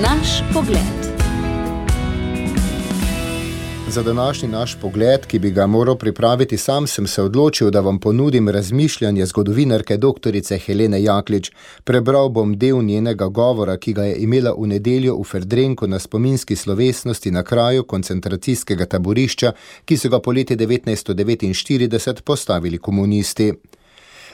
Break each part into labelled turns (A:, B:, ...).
A: Naš pogled.
B: Za današnji naš pogled, ki bi ga moral pripraviti sam, sem se odločil, da vam ponudim razmišljanje zgodovinarke doktorice Helene Jaklič. Prebral bom del njenega govora, ki ga je imela v nedeljo v Ferdrenku na spominski slovesnosti na kraju koncentracijskega taborišča, ki so ga po leti 1949 postavili komunisti.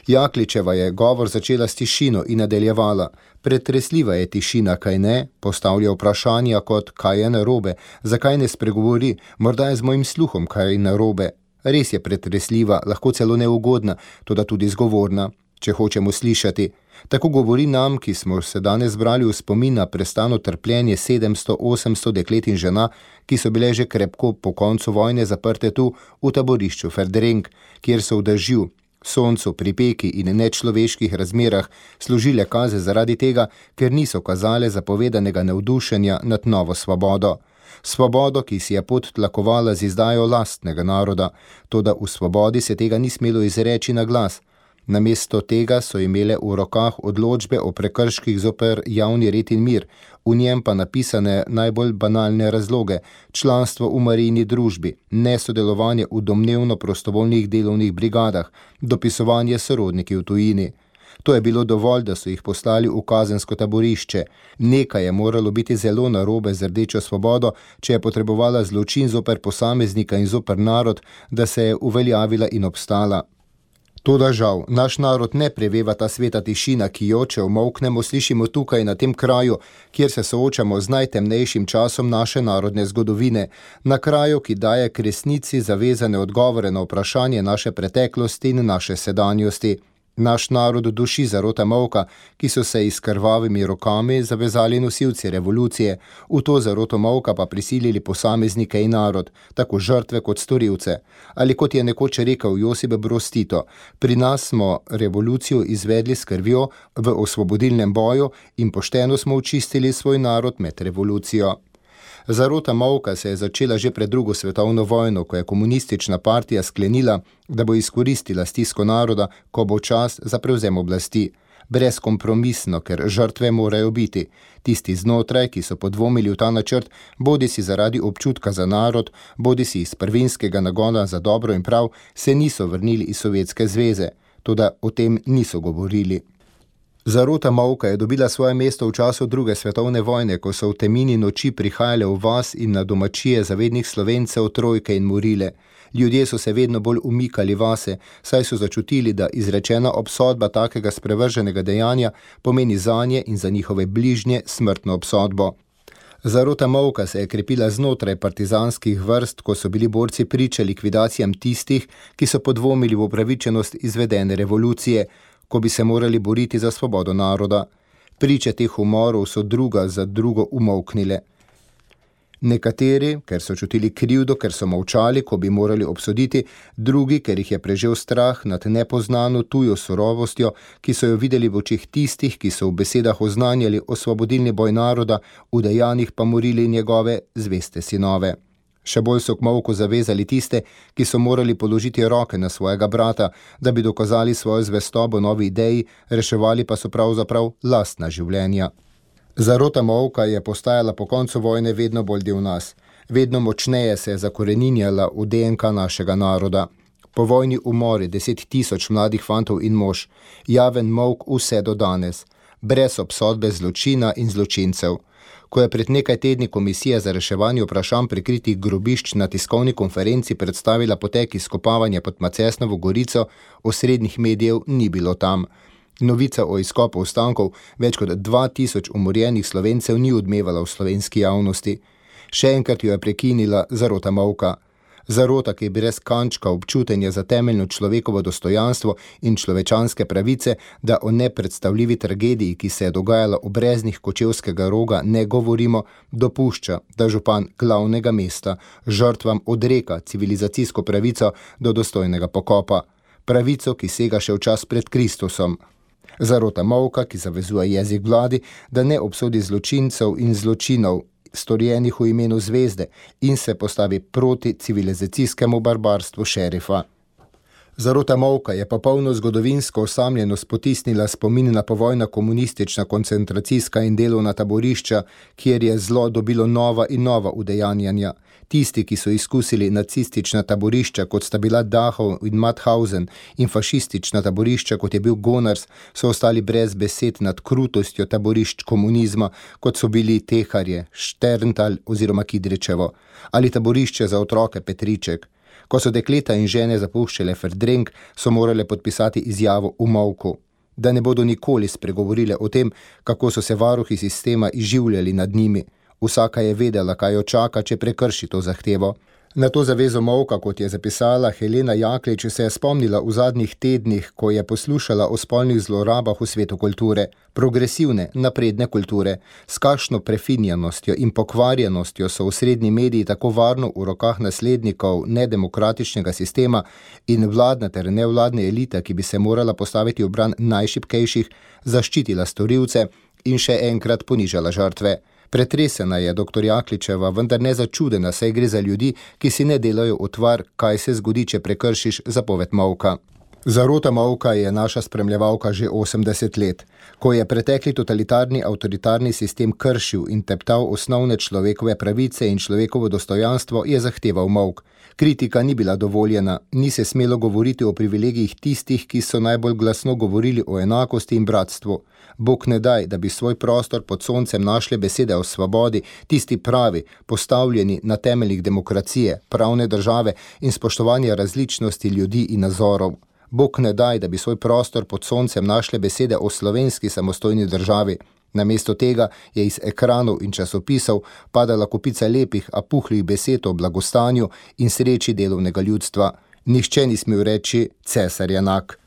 B: Jakličeva je govor začela s tišino in nadaljevala. Pretresljiva je tišina, kaj ne? Postavlja vprašanja kot, kaj je narobe, zakaj ne spregovori, morda je z mojim sluhom kaj narobe. Res je pretresljiva, lahko celo neugodna, toda tudi zgovorna, če hočemo slišati. Tako govori nam, ki smo se danes zbrali v spomin na prestano trpljenje 700-800 deklet in žena, ki so bile že krepko po koncu vojne zaprte tu v taborišču Ferdrenk, kjer so v dežju, soncu, pripeki in nečloveških razmerah služile kaze zaradi tega, ker niso kazale zapovedanega navdušenja nad novo svobodo. Svobodo, ki si je pot tlakovala z izdajo lastnega naroda, toda v svobodi se tega ni smelo izreči na glas. Namesto tega so imele v rokah odločbe o prekrških zoper javni red in mir, v njem pa napisane najbolj banalne razloge, članstvo v Marijini družbi, nesodelovanje v domnevno prostovoljnih delovnih brigadah, dopisovanje sorodniki v tujini. To je bilo dovolj, da so jih poslali v kazensko taborišče. Nekaj je moralo biti zelo narobe z rdečo svobodo, če je potrebovala zločin zoper posameznika in zoper narod, da se je uveljavila in obstala. Toda žal, naš narod ne preveva ta sveta tišina, ki jo, če umolknemo, slišimo tukaj na tem kraju, kjer se soočamo z najtemnejšim časom naše narodne zgodovine, na kraju, ki daje k resnici zavezane odgovore na vprašanje naše preteklosti in naše sedanjosti. Naš narod duši zarota molka, ki so se s krvavimi rokami zavezali nosilci revolucije, v to zaroto molka pa prisilili posameznike in narod, tako žrtve kot storilce. Ali kot je nekoč rekel Josip Broz Tito, pri nas smo revolucijo izvedli s krvjo v osvobodilnem boju in pošteno smo očistili svoj narod med revolucijo. Zarota molka se je začela že pred drugo svetovno vojno, ko je komunistična partija sklenila, da bo izkoristila stisko naroda, ko bo čas za prevzem oblasti. Brezkompromisno, ker žrtve morajo biti. Tisti znotraj, ki so podvomili v ta načrt, bodisi zaradi občutka za narod, bodisi iz prvinskega nagona za dobro in prav, se niso vrnili iz Sovjetske zveze. Toda o tem niso govorili. Zarota molka je dobila svoje mesto v času druge svetovne vojne, ko so v temini noči prihajale v vas in na domačije zavednih Slovencev trojke in morile. Ljudje so se vedno bolj umikali vase, saj so začutili, da izrečena obsodba takega sprevrženega dejanja pomeni zanje in za njihove bližnje smrtno obsodbo. Zarota molka se je krepila znotraj partizanskih vrst, ko so bili borci priče likvidacijam tistih, ki so podvomili v upravičenost izvedene revolucije, ko bi se morali boriti za svobodo naroda. Priče teh umorov so druga za drugo umolknile. Nekateri, ker so čutili krivdo, ker so molčali, ko bi morali obsoditi, drugi, ker jih je prežel strah nad nepoznano tujo surovostjo, ki so jo videli v očih tistih, ki so v besedah oznanjali osvobodilni boj naroda, v dejanjih pa morili njegove zveste sinove. Še bolj so k molku zavezali tiste, ki so morali položiti roke na svojega brata, da bi dokazali svojo zvestobo novi ideji, reševali pa so pravzaprav lastna življenja. Zarota molka je postajala po koncu vojne vedno bolj del nas. Vedno močneje se je zakoreninjala v DNK našega naroda. Po vojni umori 10 000 mladih fantov in mož, javen molk vse do danes, brez obsodbe zločina in zločincev. Ko je pred nekaj tedni Komisija za reševanje vprašanj prikritih grobišč na tiskovni konferenci predstavila potek izkopavanja pod Macesnovo Gorico, osrednjih medijev ni bilo tam. Novica o izkopu ostankov več kot 2000 umorjenih Slovencev ni odmevala v slovenski javnosti. Še enkrat jo je prekinila zarota molka. Zarota, ki je brez kančka občutenja za temeljno človekovo dostojanstvo in človečanske pravice, da o nepredstavljivi tragediji, ki se je dogajala v breznih Kočevskega Roga, ne govorimo, dopušča, da župan glavnega mesta žrtvam odreka civilizacijsko pravico do dostojnega pokopa. Pravico, ki sega še v čas pred Kristusom. Zarota molka, ki zavezuje jezik vladi, da ne obsodi zločincev in zločinov, storjenih v imenu zvezde in se postavi proti civilizacijskemu barbarstvu šerifa. Zarota molka je popolno zgodovinsko osamljenost potisnila spomin na povojna komunistična koncentracijska in delovna taborišča, kjer je zlo dobilo nova in nova udejanjanja. Tisti, ki so izkusili nacistična taborišča, kot sta bila Dachau in Mauthausen, in fašistična taborišča, kot je bil Gonars, so ostali brez besed nad krutostjo taborišč komunizma, kot so bili Teharje, Šterntal oziroma Kidričevo, ali taborišče za otroke Petriček. Ko so dekleta in žene zapuščale Verdrenk, so morale podpisati izjavo v molku, da ne bodo nikoli spregovorile o tem, kako so se varuhi sistema izživljali nad njimi. Vsaka je vedela, kaj jo čaka, če prekrši to zahtevo. Na to zavezo molka, kot je zapisala Helena Jaklič, se je spomnila v zadnjih tednih, ko je poslušala o spolnih zlorabah v svetu kulture, progresivne, napredne kulture, s kakšno prefinjenostjo in pokvarjenostjo so osrednji mediji tako varno v rokah naslednikov nedemokratičnega sistema in vladna ter nevladne elite, ki bi se morala postaviti v bran najšibkejših, zaščitila storilce in še enkrat ponižala žrtve. Pretresena je dr. Jakličeva, vendar ne začudena, saj gre za ljudi, ki si ne delajo utvar, kaj se zgodi, če prekršiš zapoved molka. Zarota molka je naša spremljevalka že 80 let. Ko je pretekli totalitarni avtoritarni sistem kršil in teptal osnovne človekove pravice in človekovo dostojanstvo, je zahteval molk. Kritika ni bila dovoljena, ni se smelo govoriti o privilegijih tistih, ki so najbolj glasno govorili o enakosti in bratstvu. Bog ne daj, da bi svoj prostor pod soncem našle besede o svobodi, tisti pravi, postavljeni na temeljih demokracije, pravne države in spoštovanja različnosti ljudi in nazorov. Bog ne daj, da bi svoj prostor pod soncem našle besede o slovenski samostojni državi. Namesto tega je iz ekranov in časopisov padala kopica lepih, a puhlih besed o blagostanju in sreči delovnega ljudstva. Nihče ni smel reči cesar je enak.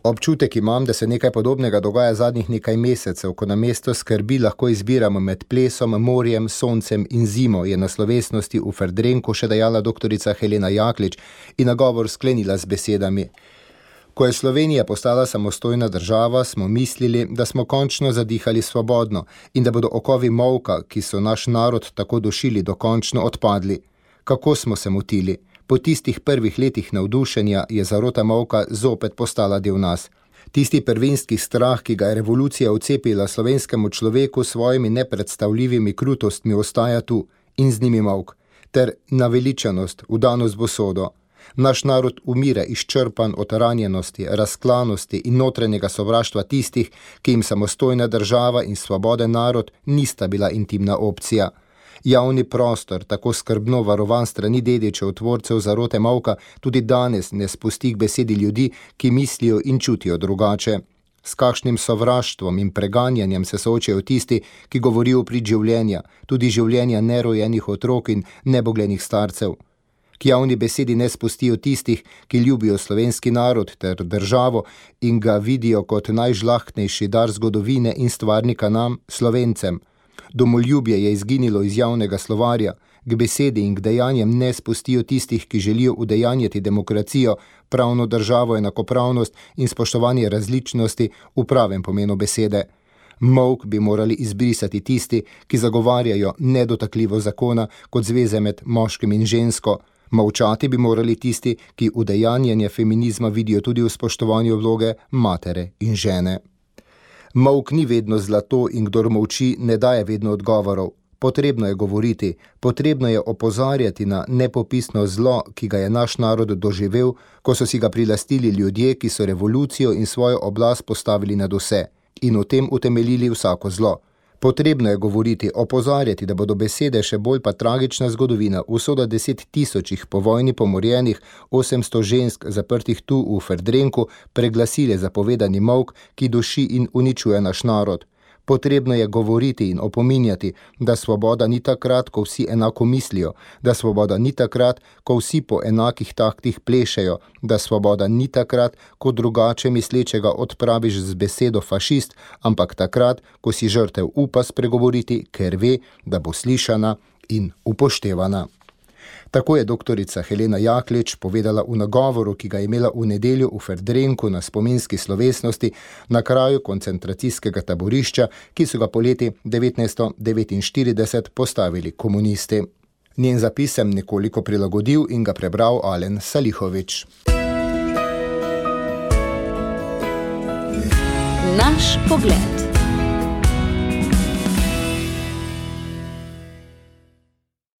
B: Občutek imam, da se nekaj podobnega dogaja zadnjih nekaj mesecev, ko namesto skrbi lahko izbiramo med plesom, morjem, soncem in zimo, je na slovesnosti v Verdrenku še dejala doktorica Helena Jaklič in nagovor sklenila z besedami: Ko je Slovenija postala samostojna država, smo mislili, da smo končno zadihali svobodno in da bodo okovi molka, ki so naš narod tako dušili, dokončno odpadli. Kako smo se motili? Po tistih prvih letih navdušenja je zarota molka zopet postala del nas. Tisti prvinski strah, ki ga je revolucija vcepila slovenskemu človeku s svojimi nepredstavljivimi krutostmi, ostaja tu in z njimi molk, ter naveličanost, vdanost v usodo. Naš narod umira izčrpan od ranjenosti, razklanosti in notranjega sovraštva tistih, ki jim samostojna država in svoboden narod nista bila intimna opcija. Javni prostor, tako skrbno varovan strani dedičev, tvorcev zarote molka, tudi danes ne spusti k besedi ljudi, ki mislijo in čutijo drugače. S kakšnim sovraštvom in preganjanjem se soočajo tisti, ki govorijo prid življenja, tudi življenja nerojenih otrok in neboglenih starcev. K javni besedi ne spustijo tistih, ki ljubijo slovenski narod ter državo in ga vidijo kot najžlahtnejši dar zgodovine in stvarnika nam, Slovencem. Domoljubje je izginilo iz javnega slovarja, k besedi in k dejanjem ne spustijo tistih, ki želijo udejanjati demokracijo, pravno državo, enakopravnost in spoštovanje različnosti v pravem pomenu besede. Molk bi morali izbrisati tisti, ki zagovarjajo nedotakljivo zakona kot zveze med moškim in žensko. Molčati bi morali tisti, ki udejanjanje feminizma vidijo tudi v spoštovanju vloge matere in žene. Molk ni vedno zlato in kdor molči, ne daje vedno odgovorov. Potrebno je govoriti, potrebno je opozarjati na nepopisno zlo, ki ga je naš narod doživel, ko so si ga prilastili ljudje, ki so revolucijo in svojo oblast postavili nad vse in v tem utemeljili vsako zlo. Potrebno je govoriti, opozarjati, da bodo besede še bolj pa tragična zgodovina, usoda 10 000 po vojni pomorjenih, 800 žensk zaprtih tu v Verdrenku preglasile zapovedani molk, ki duši in uničuje naš narod. Potrebno je govoriti in opominjati, da svoboda ni takrat, ko vsi enako mislijo, da svoboda ni takrat, ko vsi po enakih taktih plešejo, da svoboda ni takrat, ko drugače mislečega odpraviš z besedo fašist, ampak takrat, ko si žrtev upa spregovoriti, ker ve, da bo slišana in upoštevana. Tako je doktorica Helena Jaklič povedala v nagovoru, ki ga je imela v nedeljo v Verdrenku na spominski slovesnosti na kraju koncentracijskega taborišča, ki so ga poleti 1949 postavili komunisti. Njen zapis sem nekoliko prilagodil in ga prebral Alen Salihovič.
A: Naš pogled.